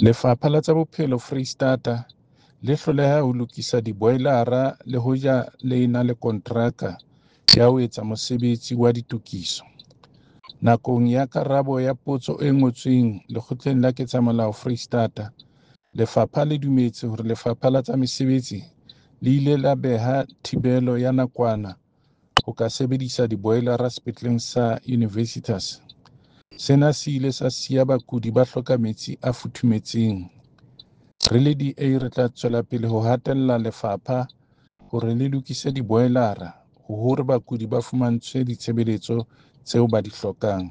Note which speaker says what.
Speaker 1: Lefapha la tsa Bophelo Freistata le hloleha ho lokisa diboilara le hoja le ena le kontraka ya ho etsa mosebetsi wa ditokiso. Nakong ya karabo ya potso e ngotsweng Lekgotleng la Ketsamolao Freistata, lefapha le dumetse hore Lefapha la tsa Mesebetsi le ile la beha thibelo ya nakwana ho ka sebedisa diboilara sepetleleng sa Universitas. Sena se ile sa siya bakudi ba hloka metsi a futhumetseng. Re le DA re tla tswela pele ho hatella lefapha hore le lokise diboilara hore bakudi ba fumantshwe ditshebeletso tseo ba di hlokang.